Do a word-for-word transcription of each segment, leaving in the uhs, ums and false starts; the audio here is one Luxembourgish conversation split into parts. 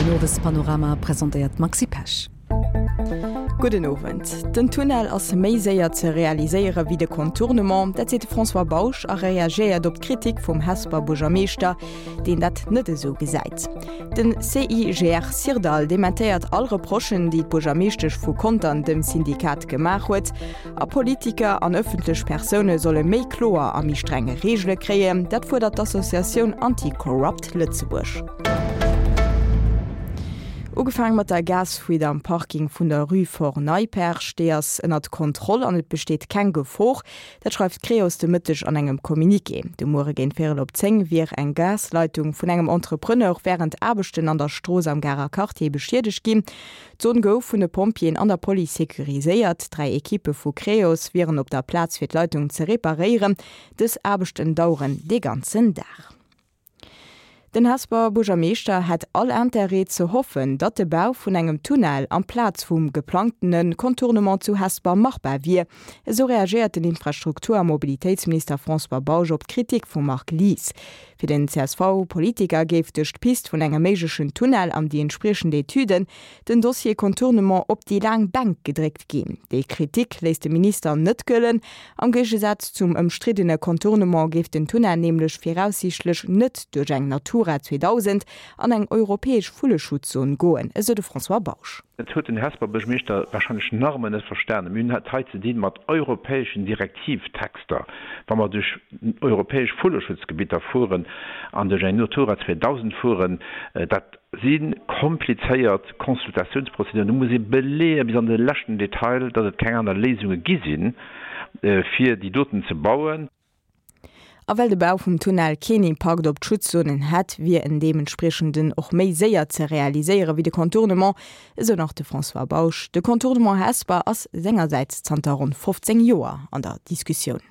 Den Owespanorama presentéiert d'Maxi Pesch. Gudden Owend. Den Tunnel ass méi séier ze realiséiere wéi de Contournement, dat seet de François Bausch a reagéiert op d'Kritik vum Hesper Buergermeeschter, deen dat net esou gesäit. Den CIGR Syrdall dementéiert all Reprochen, déi d'Buergermeeschtesch vu Contern dem Syndikat gemaach huet. A Politiker an ëffentlech Persoune solle méi kloer a méi streng Reegele kréien, dat fuerdert d'Associatioun Anti-Corrupt Lëtzebuerg. Ugefaange mat der Gasfuite am Parking vun der Rue Fort Neipperg, déi ass ënnert Kontroll an et besteet keng Gefor. Dat schreift Creos de Mëtteg an engem Communiqué. De Muere géint véierel op zéng wier eng Gasleitung vun engem Entrepreneur wärend Aarbechten an der Strooss am Garer Quartier beschiedegt ginn. D'Zon gouf vun de Pompjeeën an der Police securiséiert. Dräi Ekippe vu Creos wieren op der Plaz fir d'Leitung ze reparéieren. Dës Aarbechten daueren de ganzen Dag. Den Hesper Buergermeeschter hätt all Interêt ze hoffen, datt de Bau vun engem Tunnel amplaz vum geplangtene Contournement zu Hesper machbar wier. Esou reagéiert den Infrastruktur a Mobilitéitsminister François Bausch op d'Kritik vum Marc Lies. Fir den C S V-Politiker géif duerch d'Pist vun engem méiglechen Tunnel an déi entspriechend Etüden den Dossier Contournement op déi laang Bänk gedréckt ginn. Déi Kritik léisst de Minister net gëllen. Am Géigesaz zum ëmstriddene Contournement géif den Tunnel nämlech viraussiichtlech net duerch eng Natura zweedausend an eng europäesch Vulleschutzzon goen, esou de François Bausch. Dat huet den Hesper Buergermeeschter warscheinlech nach ëmmer net verstanen. Mir hunn et hei ze dinn mat europäeschen Direktivtexter. Wa mer duerch europäesch Vulleschutzgebitter fueren an duerch eng Natura zweedausend fueren, dat si komplizéiert Consultatiounsprozeduren. Do muss ee beleeë bis an de leschten Detail, datt et keng aner Léisunge gi sinn, fir déi doten ze bauen. A well de Bau vum Tunnel keen Impakt op d'Schutzzonen hätt, wier en deementspriechenden och méi séier ze realiséiere wéi de Contournement, esou nach de François Bausch. De Contournement Hesper ass sengersäits zanter ronn fofzéng Joer an der Diskussioun.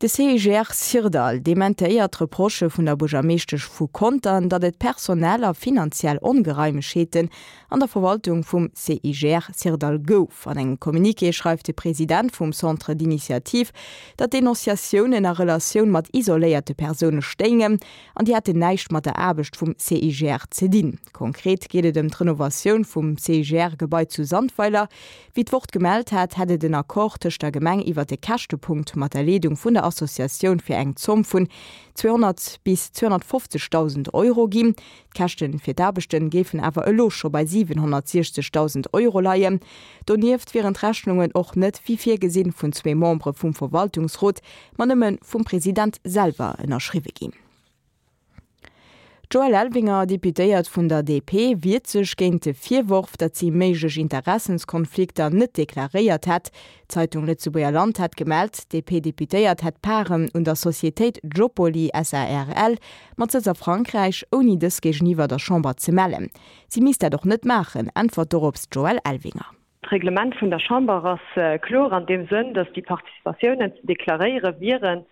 De C I G R Syrdall dementéiert d'Reprochë vun der Buergermeeschtesch vu Contern, datt et personell a finanziell Ongereimegheeten an der Verwaltung vum C I G R Syrdall gouf. An engem Communiqué schreift de President vum Centre d'initiative, datt d'Denonciatiounen a Relatioun mat isoléierte Persoune stéingen an déi hätten näischt mat der Aarbecht vum C I G R ze dinn. Konkret geet et ëm d'Renovatioun vum C I G R-Gebai zu Sandweiler. Wéi d'Wort gemellt hat, hätt et en Accord tëscht der Gemeng iwwer de Käschtepunkt mat der Leedung vun der Associatioun fir eng Zomm vun zweehonnert bis zweehonnertfofzegdausend Euro ginn. D'Käschte fir d'Aarbechte géifen awer elo scho bei siwenhonnertsiechzegdausend Euro leien. Donieft wieren d'Rechnungen och net wéi virgesinn vun zwee Membere vum Verwaltungsrot, ma nëmme vum President selwer ënnerschriwwe ginn. D'Joëlle Elvinger, Deputéiert vun der D P, wiert sech géint de Virworf, datt si méiglech Interessenskonflikter net deklaréiert hätt. D'Zeitung Lëtzebuerger Land hat gemellt, d'D P-Deputéiert hätt Paren un der Societéit Jobpoly S A R L mat Sëtz a Frankräich, ouni dës géigeniwwer der Chamber ze mellen. Si misst dat och net maachen, äntwert dorops d'Joëlle Elvinger. D'Reglement vun der Chamber ass kloer an deem Sënn, datt déi Participatiounen ze deklaréiere wieren,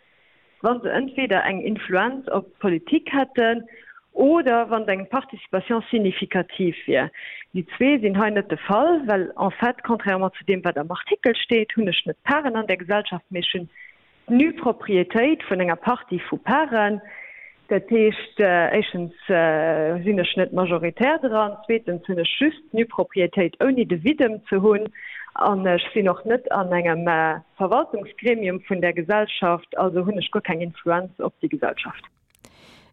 wa se entweder eng Influenz op d'Politik hätten oder wann eng Participation significative wier. Déi zwee sinn hei net de Fall, well en fait, contrairement zu deem wat am Artikel steet, hunn ech net Paren an der Gesellschaft, mee ech hunn d'Nu-Propriétéit vun enger Partie vu Paren. Dat heescht, éischtens sinn ech net majoritär dran, zweetens hunn ech just d'Nu-Propriétéit ouni de Viddem ze hunn an ech sinn och net an engem Verwaltungsgremium vun der Gesellschaft, also hunn ech guer keng Influenz op déi Gesellschaft.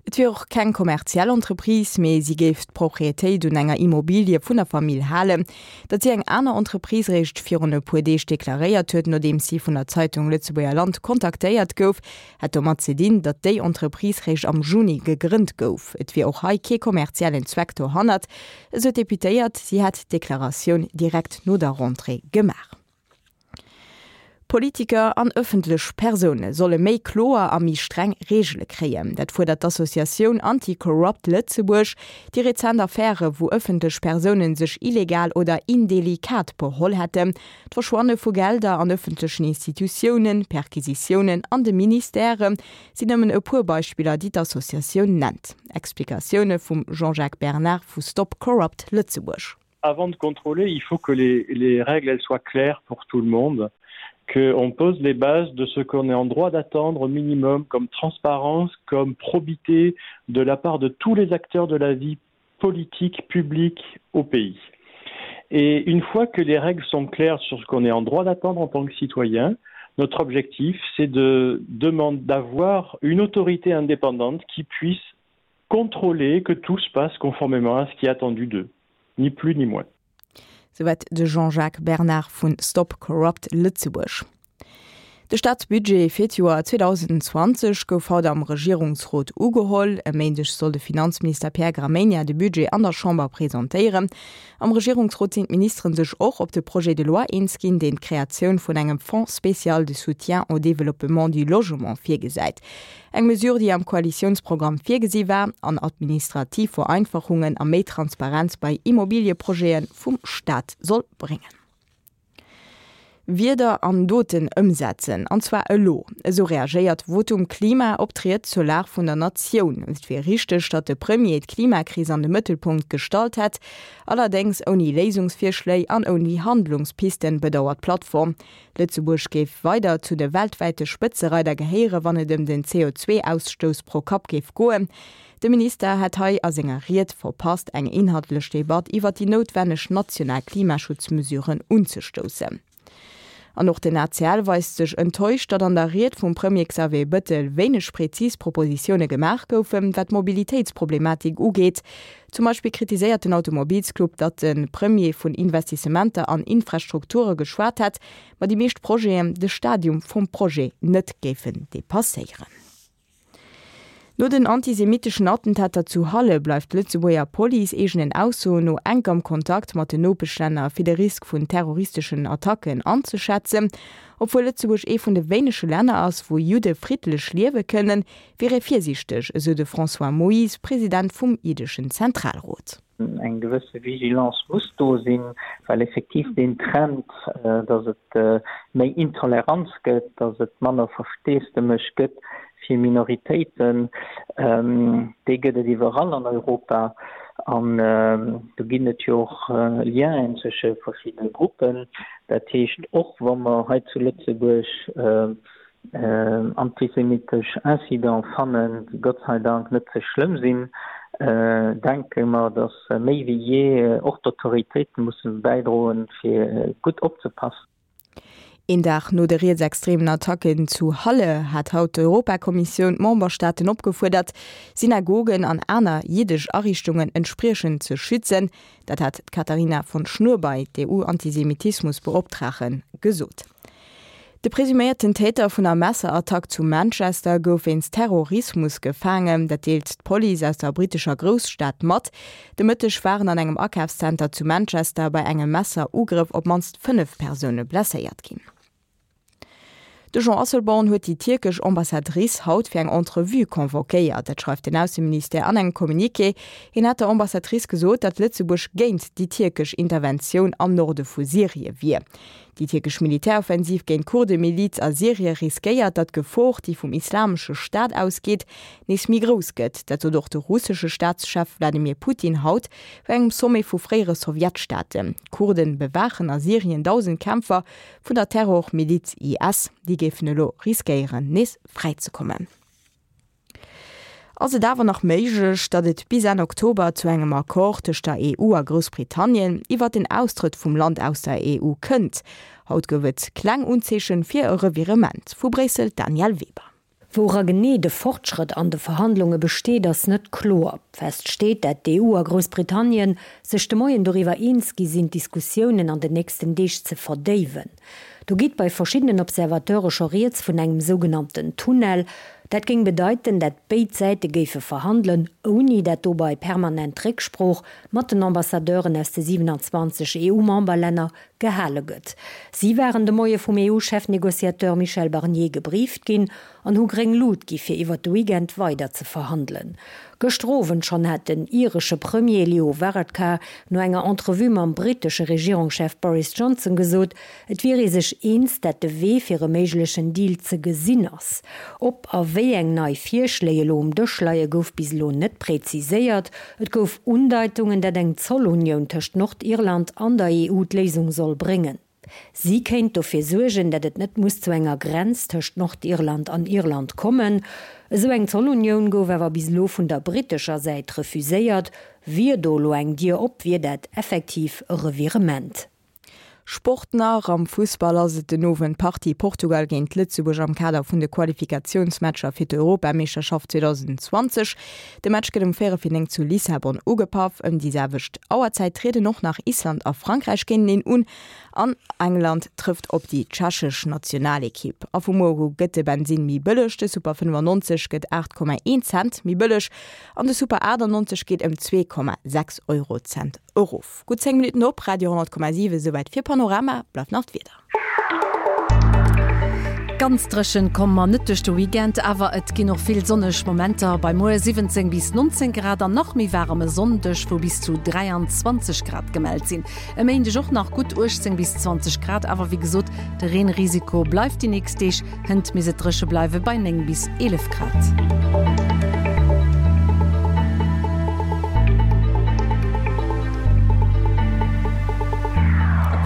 Et wier och keng kommerziell Entreprise, mee si géif d'Proprietéit un enger Immobilie vun der Famill halen. Datt si eng aner Entreprise réischt virun e puer Deeg deklaréiert huet, nodeems si vun der Zeitung Lëtzebuerger Land kontaktéiert gouf, hätt domat ze dinn, datt déi Entreprise réischt am Juni gegrënnt gouf. Et wier och hei kee kommerziellen Zweck dohannert, esou d'Deputéiert. Si hätt d'Deklaratioun direkt no der Rentrée gemaach. Politiker an ëffentlech Persoune solle méi kloer a méi streng Reegele kréien. Dat fuerdert d'Associatioun Anti-Corrupt Lëtzebuerg. Déi rezent Affäre wou ëffentlech Persoune sech illegal oder indelikat beholl hätten, d'Verschwanne vu Gelder an ëffentlechen Institutiounen, Perquisitiounen an de Ministèrë sinn nëmmen e puer Beispiller, déi d'Associatioun nennt. Explikatioune vum Jean-Jacques Bernard vu Stop Corrupt Lëtzebuerg. Avant de contrôler, il faut que les, les règles elles soient claires pour tout le monde, qu'on pose les bases de ce qu'on est en droit d'attendre au minimum comme transparence, comme probité de la part de tous les acteurs de la vie politique publique au pays. Et une fois que les règles sont claires sur ce qu'on est en droit d'attendre en tant que citoyen, notre objectif c'est de demander d'avoir une autorité indépendante qui puisse contrôler que tout se passe conformément à ce qui est attendu d'eux, ni plus ni moins. Souwäit de Jean-Jacques Bernard vun Stop Corrupt Lëtzebuerg. De Staatsbudget fir d'Joer zweedausendzwanzeg gouf haut am Regierungsrot ugeholl. E Méindeg soll de Finanzminister Pierre Gramegna de Budget an der Chamber presentéieren. Am Regierungsrot sinn d'Ministeren sech och op de Projet de loi eens ginn, deen d'Kreatioun vun engem Fonds spécial de soutien au développement du logement virgesäit. Eng Mesure, déi am Koalitiounsprogramm virgesi war an administrativ Vereinfachungen a méi Transparenz bei Immobilieprojete vum Staat soll bréngen. Wierder an Doten ëmsetzen, an zwar elo. Esou reagéiert Votum Klima op d'Ried zur Lag vun der Natioun. Et wier richteg, datt de Premier d'Klimakris an de Mëttelpunkt gestallt hätt, allerdéngs ouni Léisungsvirschléi an ouni Handlungspisten, bedauert d'Plattform. Lëtzebuerg géif weider zu de weltwäite Spëtzereider gehéieren, wann et ëm den C O zwei Ausstouss pro Kapp géif goen. De Minister hätt hei a senger Ried verpasst, eng inhaltlech Debatt iwwer déi noutwenneg national Klimaschutzmesuren unzestoussen. An och den A C L weist sech enttäuscht, datt an der Ried vum Premier Xavier Bettel wéineg präzis Propositioune gemaach goufen, wat d'Mobilitéitsproblematik ugeet. Zum Beispill kritiséiert den Automobilsclub, datt de Premier vun Investissementer an Infrastrukture geschwat hätt, ma déi meescht Projeten de Stadium vum Projet net géifen depasséieren. No den antisemitischen Attentater zu Halle bleift d'Lëtzebuerger Police eegenen Aussoen no enk am Kontakt mat den Nopeschlänner fir de Risk vun terroristischen Attacken anzeschätzen. Obwuel Lëtzebuerg ee vun de wéinege Länner ass, wou Judde friddlech liewe kënnen, wier ee virsiichteg, esou de François Moyse, President vum Jiddeschen Zentralrot. Eng gewësse Vigilance muss do sinn, well effektiv den Trend, dass et méi Intoleranz gëtt, dass et manner Versteesdemech gëtt fir Minoritéiten, déi gëtt et iwwerall an Europa. An do ginn et jo och Lienen zwësche verschiedene Gruppen. Dat heescht och, wa mer hei zu Lëtzebuerg antisemitesch Incident fannen, déi Gott sei Dank net ze schlëmm sinn, denke mer, dass méi wéi je och d'Autoritéiten mussen bäidroen, fir gutt opzepassen. Een Dag no de rietsextremen Attacken zu Halle hat haut d'Europakommissioun d'Memberstaaten opgefuerdert, Synagogen an aner jiddesch Ariichtungen entspriechend ze schützen. Dat hat d'Katharina von Schnurbein, d'E U-Antisemitismusbeoptragen, gesot. De presuméierten Täter vun der Messerattack zu Manchester gouf wéinst Terrorismus gefaangen. Dat deelt d'Police aus der brittescher Grousstad mat. De Mëtteg waren an engem Akafszenter zu Manchester bei engem Messerugrëff op d'mannst fënnef Persoune blesséiert ginn. De Jean Asselborn huet déi tierkesch Ambassadrice haut fir eng Entrevue convoquéiert. Dat schreift den Ausseministère an engem Communiqué. Hien hat der Ambassadrice gesot, datt Lëtzebuerg géint déi tierkesch Interventioun am Norde vu Syrie wier. Déi tierkesch Militäroffensiv géint Kurdemiliz a Syrie riskéiert, datt d'Gefor, déi vum Islamesche Staat ausgeet, nees méi grouss gëtt. Dat sot och de russesche Staatschef Wladimir Putin haut bei engem Sommet vu fréiere Sowjetstaaten. D'Kurden bewaachen a Syrien dausend Kämpfer vun der Terrormiliz I S. Déi géifen elo riskéieren, nees fräizekommen. Ass et awer nach méiglech, datt et bis Enn Oktober zu engem Accord tëscht der E U a Groussbritannien iwwer den Austrëtt vum Land aus der E U kënnt? Haut gouf et kleng Unzeechen fir e Revirement. Vu Bréissel Daniel Weber. Woura genee de Fortschrëtt an de Verhandlunge besteet, ass net kloer. Fest steet, dat d'E U a Groussbritannien sech de Moien doriwwer eens gi sinn, d'Diskussiounen an den nächsten Deeg ze verdéiwen. Do geet bei verschiedenen Observateure scho rieds vun engem sougenannten Tunnel. Dat géing bedeiten, dat béid Säite géife verhandelen, ouni dat dobäi permanent Récksprooch mat den Ambassadeuren aus de siewenundzwanzeg E U-Memberlänner gehale gëtt. Si waren de Moie vum E U-Chefnegociateur Michel Barnier gebrieft ginn an hu gréng Lut gi fir iwwer de Weekend weider ze verhandelen. Gëschter Owend schonn hat den iresche Premier Leo Varadkar no enger Entrevue mam brittesche Regierungschef Boris Johnson gesot, et wier ee sech eens, dat de Wee fir e méiglechen Deal ze gesinn ass. Ob a wéi eng nei Virschléi elo um Dësch leie gouf bis elo net präziséiert. Et gouf Undeitungen, dat eng Zollunioun tëscht Nordirland an der E U d'Léisung soll bréngen. Si kéint dofir suergen, dat et net muss zu enger Grenz tëscht Nordirland an Irland kommen. Esou eng Zollunioun gouf awer bis elo vun der brittescher Säit refuséiert. Wier do elo eng Dier op, wier dat effektiv e Revirement. Sport nach, Am Fussball ass et den Owend d'Partie Portugal géint Lëtzebuerg am Kader vun de Qualifikatiounsmatcher fir d'Europameeschterschaft zweedausendzwanzeg. De Match gëtt um véierel vir néng zu Lissabon ugepaff. Ëm déi selwecht Auerzäit trieden och nach Island a Frankräich géinteneen un an England trëfft op déi tschechesch Nationalekipp. A vu muer u gëtt de Bensinn méi bëlleg, de Super fënnefannonzeg gëtt aacht Komma een Cent méi bëlleg an de Super achtannonzeg geet ëm zwee Komma sechs Eurocent erof. Gutt zéng Minutten op Radio honnert Komma siwen, esouwäit fir Panorama, bleift nach d'Wieder. Ganz dréchen komme mer net duerch de Weekend, awer et ginn och vill sonneg Momenter bei muer siwwenzéng bis nonzéng Grad an nach méi waarem e Sonndeg, wou bis zu dräianzwanzeg Grad gemellt sinn. E Méindeg och nach gutt uechtzéng bis zwanzeg Grad, awer wéi gesot, de Reenrisiko bleift déi nächst Deeg, hënt misst et dréche bleiwe bei néng bis eelef Grad.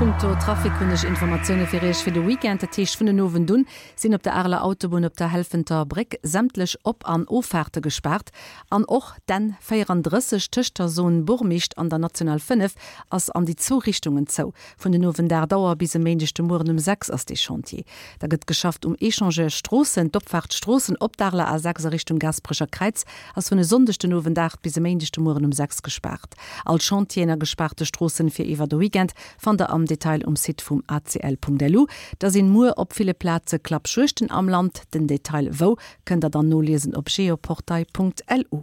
A punkto Trafic hunn ech Informatioune fir Iech fir de Weekend. Dat heescht, vun den Owend un sinn op der Areler Autobunn op der Helfenter Bréck sämtlech Op an Offaarte gespaart. An och d'N véierandrësseg tëscht der Zone Bourmicht an der National fënnef ass an déi zwou Richtungen zou. Vun den Owend aacht Auer bis e Méindeg de Mueren um sechs ass dee Chantier. Da gëtt geschafft um Echangeur Stroossen. D'Opfaart Stroossen op d'Areler A sechs a Richtung Gaasperecher Kräiz ass vun e Sonndeg den Owend aacht bis e Méindeg de Mueren um sechs gespaart. All Chantieren a gespaarte Stroossen fir iwwer de Weekend fannt der am Detail um Site vum acl.lu. Da sinn muer op ville Plaze Klappjuegten am Land. Den Detail wou kënnt der dann noliesen op geoportail.lu.